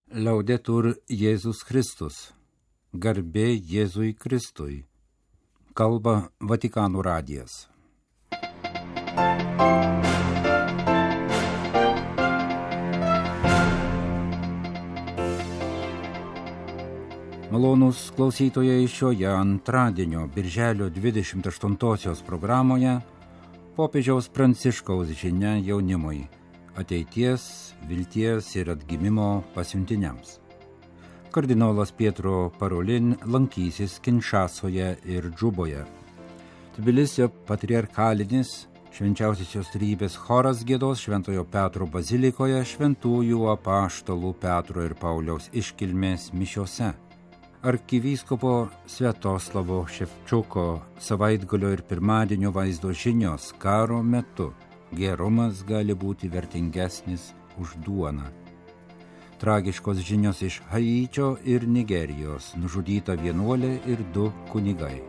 Laudetur Jėzus Kristus. Garbė Jėzui Kristui. Kalba Vatikano radijas. Malonūs klausytojai, šioje antradienio birželio 28-osios programoje popiežiaus Pranciškaus žinia jaunimui – ateities, vilties ir atgimimo pasiuntiniams. Kardinolas Pietro Parolin lankysis Kinšasoje ir Džuboje. Tbilisio patriarchalinis švenčiausiosios trejybės choras giedos Šventojo Petro bazilikoje šventųjų apaštalų Petro ir Pauliaus iškilmės mišiose. Arkivyskupo Sviatoslavo Ševčiuko savaitgalio ir pirmadienio vaizdo žinios karo metu. Gerumas gali būti vertingesnis už duoną. Tragiškos žinios iš Haičio ir Nigerijos, nužudyta vienuolė ir 2 kunigai.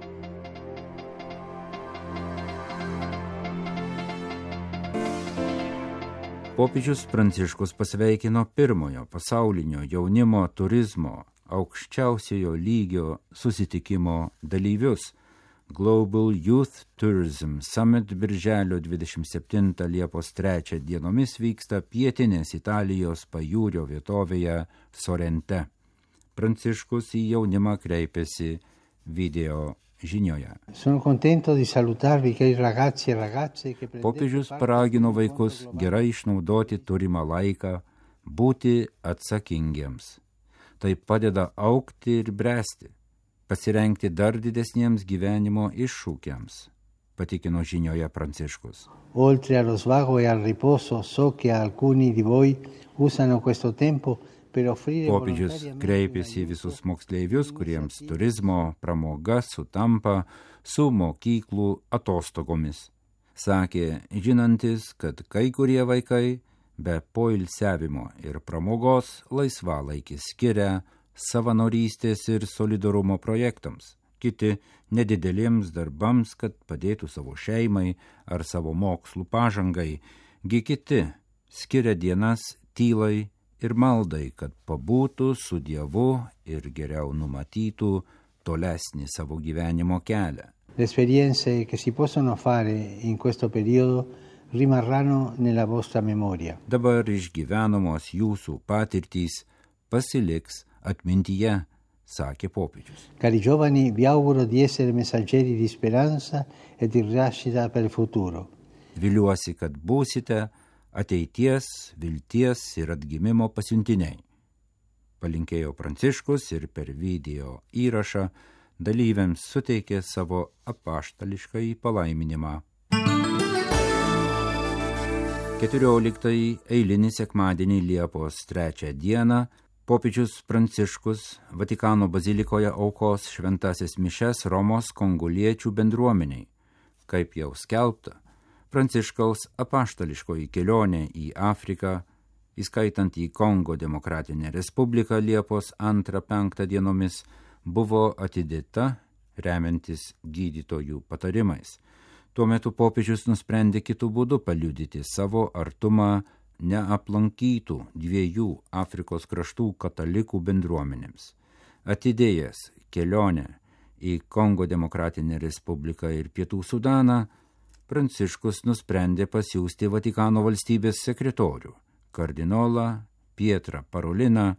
Popiežius Pranciškus pasveikino pirmojo pasaulinio jaunimo turizmo aukščiausiojo lygio susitikimo dalyvius. Global Youth Tourism Summit birželio 27 Liepos 3 dienomis vyksta pietinės Italijos pajūrio vietovėje Sorente. Pranciškus į jaunimą kreipėsi video žinioje. Popiežius paragino vaikus gerai išnaudoti turimą laiką, būti atsakingiems. Tai padeda augti ir bręsti, pasirengti dar didesniems gyvenimo iššūkiams, patikino žinioje Pranciškus. Oltre allo svago e al riposo, so che alcuni di voi usano questo tempo per offrire. Popiežius kreipėsi visus moksleivius, kuriems turizmo pramoga sutampa su mokyklų atostogomis. Sakė, žinantis, kad kai kurie vaikai be poilsiavimo ir pramogos laisvalaikį skiria savanorystės ir solidarumo projektams, kiti nedideliems darbams, kad padėtų savo šeimai ar savo mokslų pažangai, kiti skiria dienas tylai ir maldai, kad pabūtų su Dievu ir geriau numatytų tolesnį savo gyvenimo kelią. Le esperienze che si possono fare in questo periodo rimarranno nella vostra memoria. Dabar išgyvenamos jūsų patirtys pasiliks atmintyje, sakė popiežius. Cari giovani, vi auguro di essere messaggeri di speranza e di rinascita per il futuro. Viliuosi, kad būsite ateities, vilties ir atgimimo pasiuntiniai. Palinkėjo Pranciškus ir per video įrašą dalyviams suteikė savo apaštališkąjį palaiminimą. 14 eilinį sekmadienį Liepos 3 dieną popiežius Pranciškus Vatikano bazilikoje aukos šventasis mišias Romos kongoliečių bendruomeniai. Kaip jau skelbta, Pranciškaus apaštališkoji kelionė į Afriką, įskaitant į Kongo Demokratinę Respubliką Liepos 2-5 dienomis, buvo atidėta remiantis gydytojų patarimais. Tuo metu popiežius nusprendė kitų būdų paliudyti savo artumą neaplankytų 2 Afrikos kraštų katalikų bendruomenėms. Atidėjęs kelionę į Kongo Demokratinę Respubliką ir Pietų Sudaną, Pranciškus nusprendė pasiųsti Vatikano valstybės sekretorių, kardinolą Pietrą Paroliną,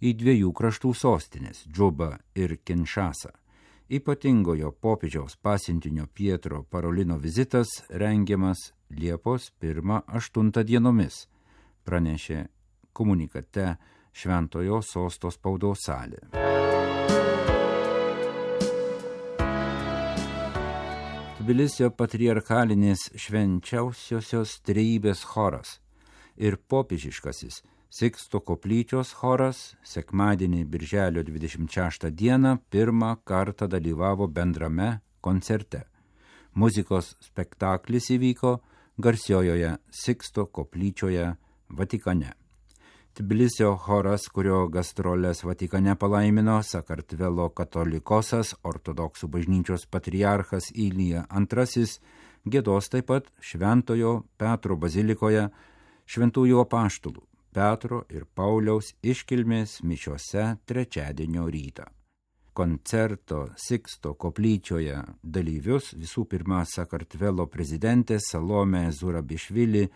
į 2 kraštų sostinės – Džubą ir Kinšasą. Ypatingojo popiežiaus pasiuntinio Pietro Parolino vizitas rengiamas Liepos 1-8 dienomis, pranešė komunikate Šventojo Sosto spaudos salė. Tbilisio patriarchalinis švenčiausiosios trejybės choras ir popiežiškasis Siksto koplyčios choras sekmadienį birželio 26 dieną pirmą kartą dalyvavo bendrame koncerte. Muzikos spektaklis įvyko garsiojoje Siksto koplyčioje Vatikane. Tbilisio choras, kurio gastrolės Vatikane palaimino Sakartvelo katolikosas ortodoksų bažnyčios patriarchas Ilija II, giedos taip pat Šventojo Petro bazilikoje šventųjų apaštalų Petro ir Pauliaus iškilmės mišiose trečiadienio rytą. Koncerto Siksto koplyčioje dalyvius visų pirma Sakartvelo prezidentė Salomė Zurabišvili,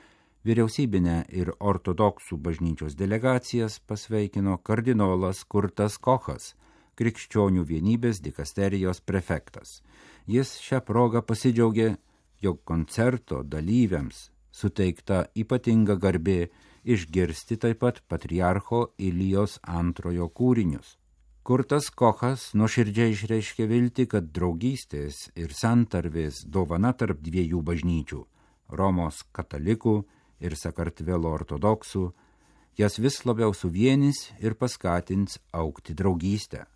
vyriausybinę ir ortodoksų bažnyčios delegacijas pasveikino kardinolas Kurtas Kochas, Krikščionių vienybės dikasterijos prefektas. Jis šią progą pasidžiaugė, jog koncerto dalyviams suteikta ypatinga garbė išgirsti taip pat patriarcho Ilijos antrojo kūrinius. Kurtas Kochas nuoširdžiai išreiškė viltį, kad draugystės ir santarvės dovana tarp dviejų bažnyčių – Romos katalikų ir Sakartvelo ortodoksų – jas vis labiau suvienys ir paskatins augti draugystę.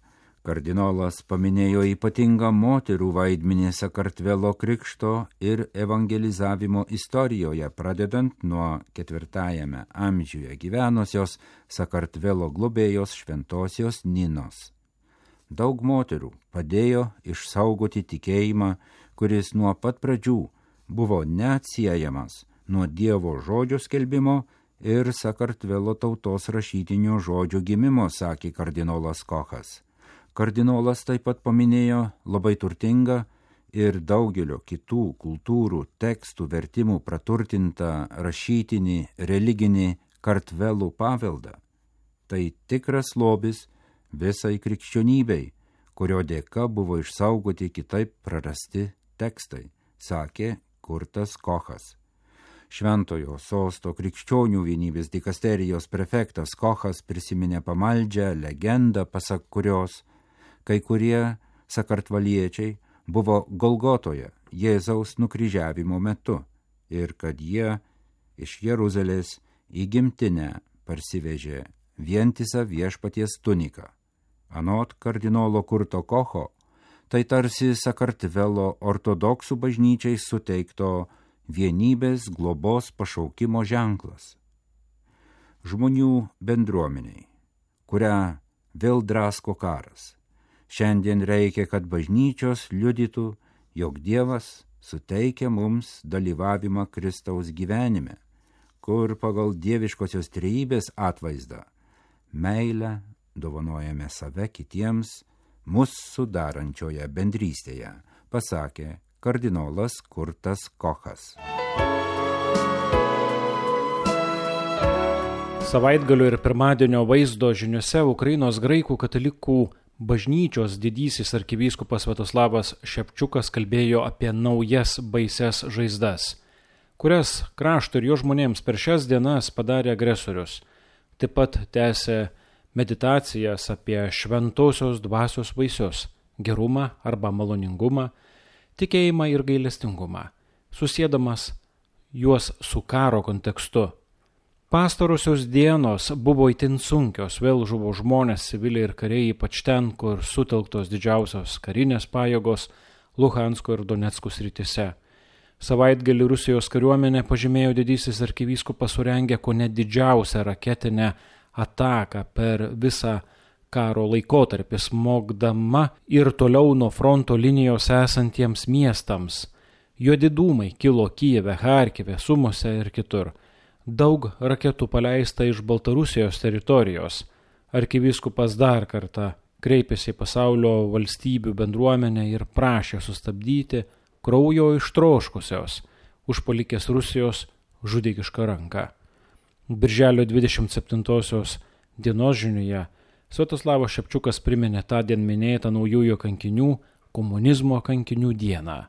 Kardinolas paminėjo ypatingą moterų vaidmenį Sakartvelo krikšto ir evangelizavimo istorijoje, pradedant nuo 4 amžiuje gyvenusios Sakartvelo globėjos šventosios Ninos. Daug moterų padėjo išsaugoti tikėjimą, kuris nuo pat pradžių buvo neatsiejamas nuo Dievo žodžio skelbimo ir Sakartvelo tautos rašytinio žodžio gimimo, sakė kardinolas Kochas. Kardinolas taip pat paminėjo labai turtingą ir daugelio kitų kultūrų tekstų vertimų praturtintą rašytinį religinį Kartvelų paveldą. Tai tikras lobis visai krikščionybei, kurio dėka buvo išsaugoti kitaip prarasti tekstai, sakė Kurtas Kochas. Šventojo sosto Krikščionių vienybės dikasterijos prefektas Kochas prisiminė pamaldžią legendą, pasak kurios kai kurie sakartvaliečiai buvo Golgotoje Jėzaus nukryžiavimo metu ir kad jie iš Jeruzalės į gimtinę parsivežė vientisą viešpaties tuniką. Anot kardinolo Kurto Kocho, tai tarsi Sakartvelo ortodoksų bažnyčiai suteikto vienybės globos pašaukimo ženklas. Žmonių bendruomeniai, kurią vėl drasko karas. Šiandien reikia, kad bažnyčios liudytų, jog Dievas suteikia mums dalyvavimą Kristaus gyvenime, kur pagal dieviškosios trejybės atvaizdą meilę dovanojame save kitiems mus sudarančioje bendrystėje, pasakė kardinolas Kurtas Kochas. Savaitgalio ir pirmadienio vaizdo žiniuose Ukrainos graikų katalikų bažnyčios didysis arkivyskupas Sviatoslavas Šepčiukas kalbėjo apie naujas baises žaizdas, kurias krašto ir jo žmonėms per šias dienas padarė agresorius. Taip pat tęsė meditacijas apie šventosios dvasios vaisius – gerumą arba maloningumą, tikėjimą ir gailestingumą, susiedamas juos su karo kontekstu. Pastarosios dienos buvo itin sunkios, vėl žuvo žmonės, civiliai ir kariai, ypač ten, kur sutelktos didžiausios karinės pajėgos Luhansko ir Donecko srityse. Savaitgalį Rusijos kariuomenė, pažymėjo didysis arkivyskupas, surengė kone didžiausią raketinę ataką per visą karo laikotarpį, smogdama ir toliau nuo fronto linijos esantiems miestams. Juodi dūmai kilo Kijeve, Charkive, Sumose ir kitur. Daug raketų paleista iš Baltarusijos teritorijos. Arkivyskupas dar kartą kreipėsi į pasaulio valstybių bendruomenę ir prašė sustabdyti kraujo ištroškusios užpuolikės Rusijos žudikišką ranką. Birželio 27 dienos žiniuje Sviatoslavas Šepčiukas priminė tądien minėtą naujųjų kankinių, komunizmo kankinių dieną.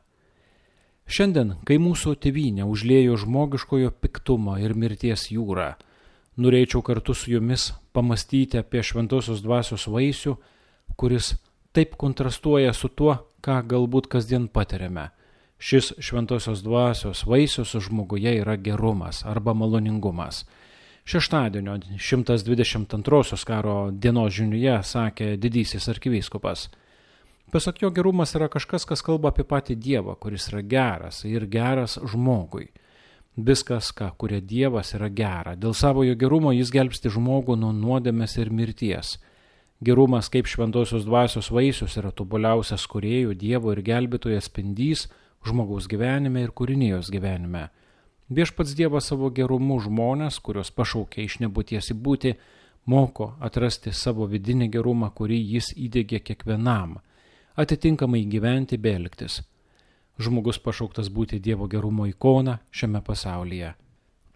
Šiandien, kai mūsų tėvynė užliejo žmogiškojo piktumo ir mirties jūrą, norėčiau kartu su jumis pamastyti apie šventosios dvasios vaisių, kuris taip kontrastuoja su tuo, ką galbūt kasdien patiriame. Šis šventosios dvasios vaisius žmoguje yra gerumas arba maloningumas. Šeštadienio 122 karo dienos žiniuje sakė didysis arkivyskupas. Pasak jo, gerumas yra kažkas, kas kalba apie patį Dievą, kuris yra geras ir geras žmogui. Viskas, ką kuria Dievas, yra gera. Dėl savojo gerumo jis gelbsti žmogų nuo nuodėmės ir mirties. Gerumas kaip šventosios dvasios vaisius yra tobuliausias kūrėjų, Dievo ir gelbėtojo spindys žmogaus gyvenime ir kūrinijos gyvenime. Viešpats Dievas savo gerumu žmonės, kurios pašaukia iš nebūties į būtį, moko atrasti savo vidinį gerumą, kurį jis įdėgė kiekvienam, atitinkamai gyventi bei elgtis. Žmogus pašauktas būti Dievo gerumo ikona šiame pasaulyje.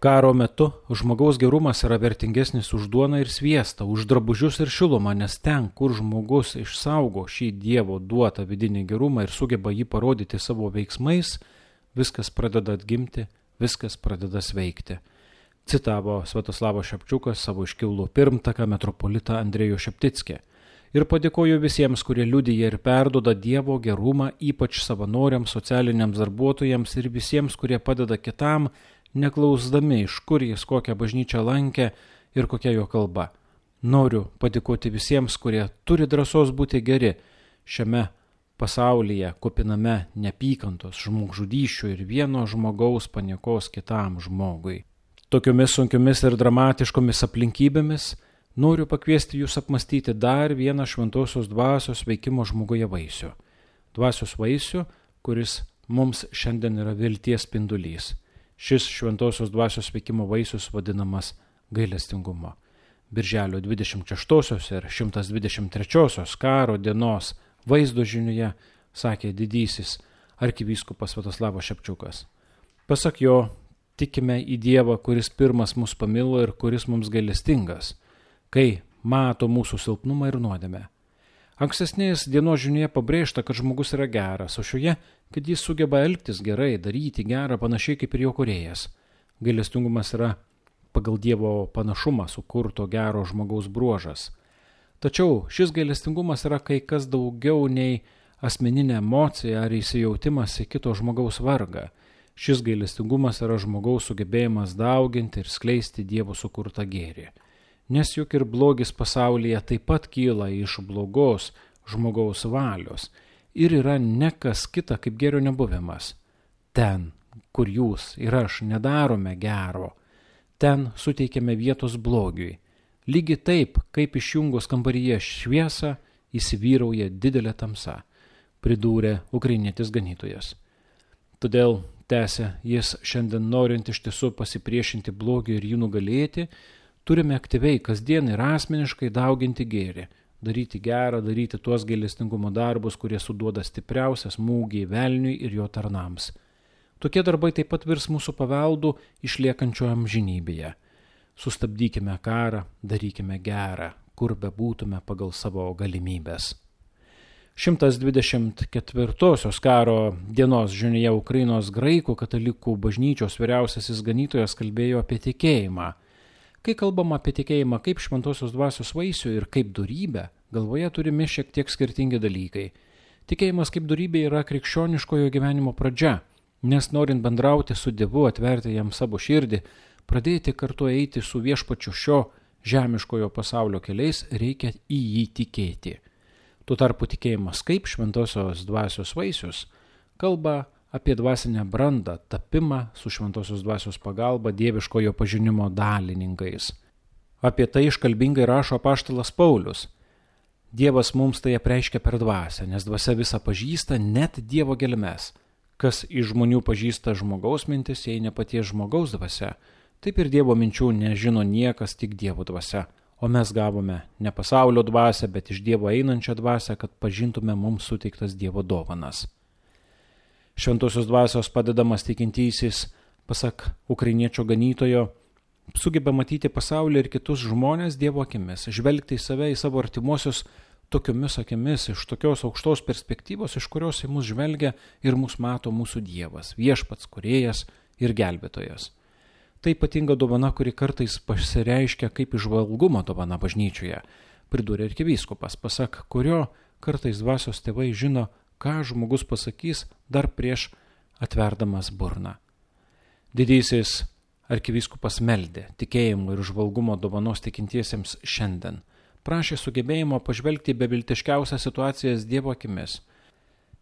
Karo metu žmogaus gerumas yra vertingesnis už duoną ir sviestą, už drabužius ir šilumą, nes ten, kur žmogus išsaugo šį Dievo duotą vidinį gerumą ir sugeba jį parodyti savo veiksmais, viskas pradeda atgimti, viskas pradeda sveikti. Citavo Sviatoslavo Šepčiukas savo iškilų pirmtaką metropolitą Andrejų Šeptickį. Ir padėkoju visiems, kurie liudija ir perduoda Dievo gerumą, ypač savanoriams, socialiniams darbuotojams ir visiems, kurie padeda kitam, neklausdami, iš kur jis kokią bažnyčią lankė ir kokia jo kalba. Noriu padėkoti visiems, kurie turi drąsos būti geri šiame pasaulyje, kupiname neapykantos, žmogžudysčių ir vieno žmogaus paniekos kitam žmogui. Tokiomis sunkiomis ir dramatiškomis aplinkybėmis noriu pakviesti jūs apmastyti dar vieną šventosios dvasios veikimo žmoguje vaisių. Dvasios vaisių, kuris mums šiandien yra vilties spindulys. Šis šventosios dvasios veikimo vaisius vadinamas gailestingumu. Birželio 26 ir 123 karo dienos vaizdo žinioje sakė didysis arkivyskupas Sviatoslavas Šepčiukas. Pasak jo, tikime į Dievą, kuris pirmas mus pamilo ir kuris mums gailestingas, kai mato mūsų silpnumą ir nuodėmę. Ankstesnės dienos žinioje pabrėžta, kad žmogus yra geras, o šioje, kad jis sugeba elgtis gerai, daryti gerą, panašiai kaip ir jo kūrėjas. Gailestingumas yra pagal Dievo panašumą sukurto gero žmogaus bruožas. Tačiau šis gailestingumas yra kai kas daugiau nei asmeninė emocija ar įsijautimas į kito žmogaus vargą. Šis gailestingumas yra žmogaus sugebėjimas dauginti ir skleisti Dievo sukurtą gėrį. Nes juk ir blogis pasaulyje taip pat kyla iš blogos žmogaus valios ir yra ne kas kita kaip gėrio nebuvimas. Ten, kur jūs ir aš nedarome gero, ten suteikiame vietos blogiui. Lygiai taip, kaip išjungus kambaryje šviesą, įsivyrauja didelė tamsa, pridūrė ukrainietis ganytojas. Todėl, tęsė jis, šiandien norint iš tiesų pasipriešinti blogiui ir jį nugalėti, turime aktyviai kasdien ir asmeniškai dauginti gėrį, daryti gerą, daryti tuos gailestingumo darbus, kurie suduoda stipriausią smūgį velniui ir jo tarnams. Tokie darbai taip pat virs mūsų paveldų išliekančio amžinybėje. Sustabdykime karą, darykime gerą, kur bebūtume pagal savo galimybės. 124 karo dienos žinioje Ukrainos graikų katalikų bažnyčios vyriausiasis ganytojas kalbėjo apie tikėjimą. Kai kalbama apie tikėjimą kaip šventosios dvasios vaisių ir kaip dorybę, galvoje turimi šiek tiek skirtingi dalykai. Tikėjimas kaip dorybė yra krikščioniškojo gyvenimo pradžia, nes norint bendrauti su Dievu, atverti jam savo širdį, pradėti kartu eiti su viešpačiu šio žemiškojo pasaulio keliais, reikia į jį tikėti. Tuo tarpu tikėjimas kaip šventosios dvasios vaisius kalba apie dvasinę brandą, tapimą su šventosios dvasios pagalba dieviškojo pažinimo dalininkais. Apie tai iškalbingai rašo apaštalas Paulius. Dievas mums tai apreiškia per dvasią, nes dvasia visą pažįsta, net Dievo gelmes. Kas iš žmonių pažįsta žmogaus mintis, jei ne paties žmogaus dvasia, taip ir Dievo minčių nežino niekas, tik Dievo dvasia. O mes gavome ne pasaulio dvasią, bet iš Dievo einančią dvasią, kad pažintume mums suteiktas Dievo dovanas. Šventosios dvasios padedamas tikintysis, pasak ukrainiečio ganytojo, sugeba matyti pasaulį ir kitus žmonės Dievo akimis, žvelgti į save, į savo artimuosius tokiomis akimis, iš tokios aukštos perspektyvos, iš kurios į mus žvelgia ir mus mato mūsų Dievas, viešpats, kūrėjas ir gelbėtojas. Tai ypatinga dovana, kuri kartais pasireiškia kaip įžvalgumo dovana bažnyčioje, pridūrė arkivyskupas, pasak kurio kartais dvasios tėvai žino, ką žmogus pasakys dar prieš atverdamas burną. Didysis arkivyskupas meldė tikėjimo ir žvalgumo dovanos tikintiesiems šiandien. Prašė sugebėjimo pažvelgti beviltiškiausias situacijas Dievo akimis.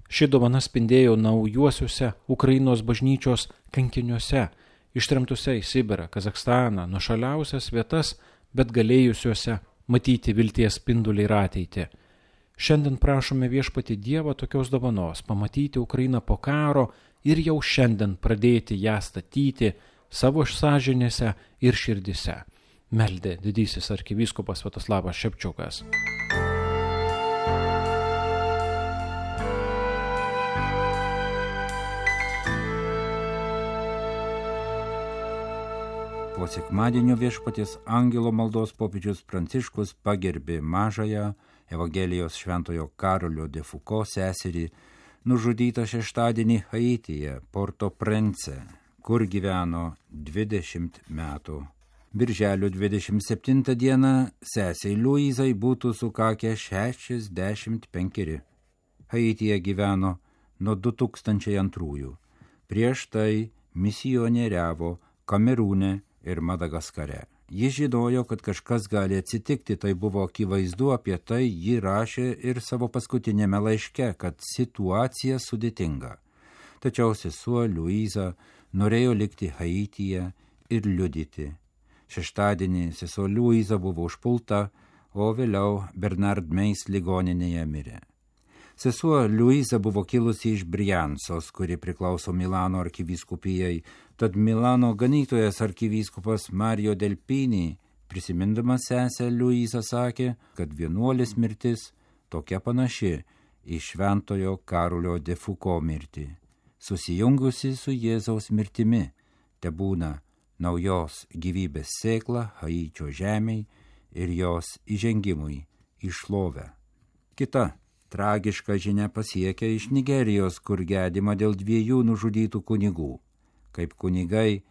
Ši dovana spindėjo naujuosiuose Ukrainos bažnyčios kankiniuose, ištremtuose į Sibirą, Kazachstaną, nuošaliausias vietas, bet galėjusiuose matyti vilties spindulį ir ateitį. Šiandien prašome viešpatį Dievą tokios dovanos, pamatyti Ukrainą po karo ir jau šiandien pradėti ją statyti, savo sąžinėse ir širdise, meldė didysis arkivyskupas Sviatoslavas Šepčiukas. Po sekmadienio Viešpaties angelo maldos popiežius Pranciškus pagerbė mažąją Evangelijos šventojo Karolio de Foucault seserį, nužudytą šeštadienį Haityje, Port-au-Prince, kur gyveno 20 metų. Birželio 27 dieną sesei Luizai būtų sukakę 65. Haityje gyveno nuo 2002. Prieš tai misionieriavo Kamerūne ir Madagaskare. Ji žinojo, kad kažkas gali atsitikti, tai buvo akivaizdu, apie tai ji rašė ir savo paskutinėme laiške, kad situacija sudėtinga. Tačiau sesuo Luiza norėjo likti Haityje ir liudyti. Šeštadienį sesuo Luiza buvo užpulta, o vėliau Bernard Meis ligoninėje mirė. Sesuo Luiza buvo kilusi iš Briansos, kuri priklauso Milano arkivyskupijai, tad Milano ganytojas arkivyskupas Mario Delpini, prisimindamas sesę Luizą, sakė, kad vienuolės mirtis tokia panaši į šventojo Karolio de Foucault mirtį. Susijungusi su Jėzaus mirtimi, tebūna naujos gyvybės sėkla Haičio žemei ir jos įžengimui į šlovę. Kita tragiška žinia pasiekia iš Nigerijos, kur gedima dėl 2 nužudytų kunigų. Kaip kunigai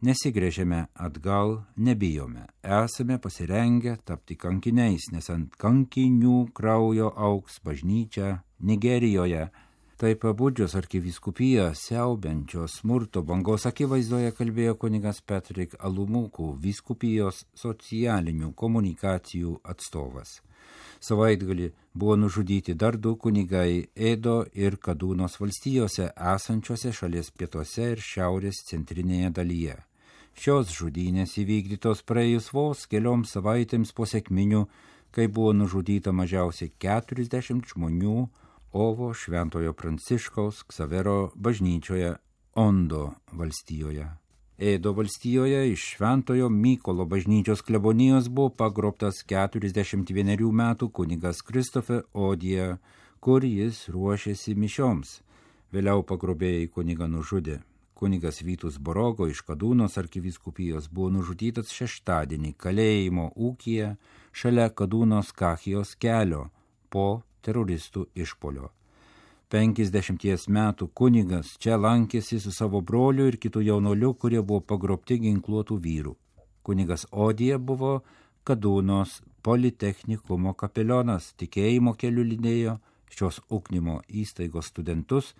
nesigręžiame atgal, nebijome. Esame pasirengę tapti kankiniais, nes ant kankinių kraujo augs bažnyčia Nigerijoje. Tai pabudžios arkivyskupiją siaubiančios smurto bangos akivaizdoje kalbėjo kunigas Patrick Alumuku, vyskupijos socialinių komunikacijų atstovas. Savaitgalį buvo nužudyti dar 2 kunigai Edo ir Kadūnos valstijose esančiose šalies pietuose ir šiaurės centrinėje dalyje. Šios žudynės įvykdytos praėjus vos kelioms savaitėms po sekminių, kai buvo nužudyta mažiausiai 40 žmonių Ovo Šventojo Pranciškaus Ksavero bažnyčioje Ondo valstijoje. Edo valstijoje iš Šventojo Mykolo bažnyčios klebonijos buvo pagrobtas 41 metų kunigas Kristofe Odija, kur jis ruošėsi mišioms. Vėliau pagrobėjai kunigą nužudė. Kunigas Vytus Borogo iš Kadūnos arkivyskupijos buvo nužudytas šeštadienį kalėjimo ūkyje šalia Kadūnos Kachijos kelio po teroristų išpolio. 50 metų kunigas čia lankėsi su savo broliu ir kitų jaunuoliu, kurie buvo pagrobti ginkluotų vyrų. Kunigas Odija buvo Kadūnos politechnikumo kapelionas, tikėjimo keliu lydėjo šios ugdymo įstaigos studentus,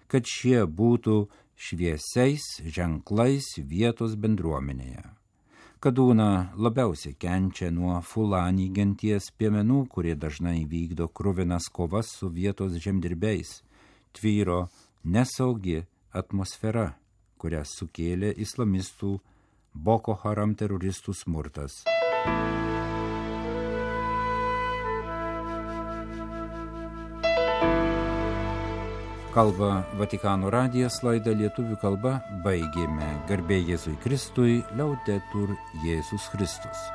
kad šie būtų šviesiais ženklais vietos bendruomenėje. Kadūna labiausiai kenčia nuo Fulani genties piemenų, kurie dažnai vykdo kruvinas kovas su vietos žemdirbiais. Tvyro nesaugi atmosfera, kurią sukėlė islamistų Boko Haram teroristų smurtas. Kalba Vatikano radijas, laidą lietuvių kalba baigėme. Garbė Jėzui Kristui, Liaudetur Jėzus Kristus.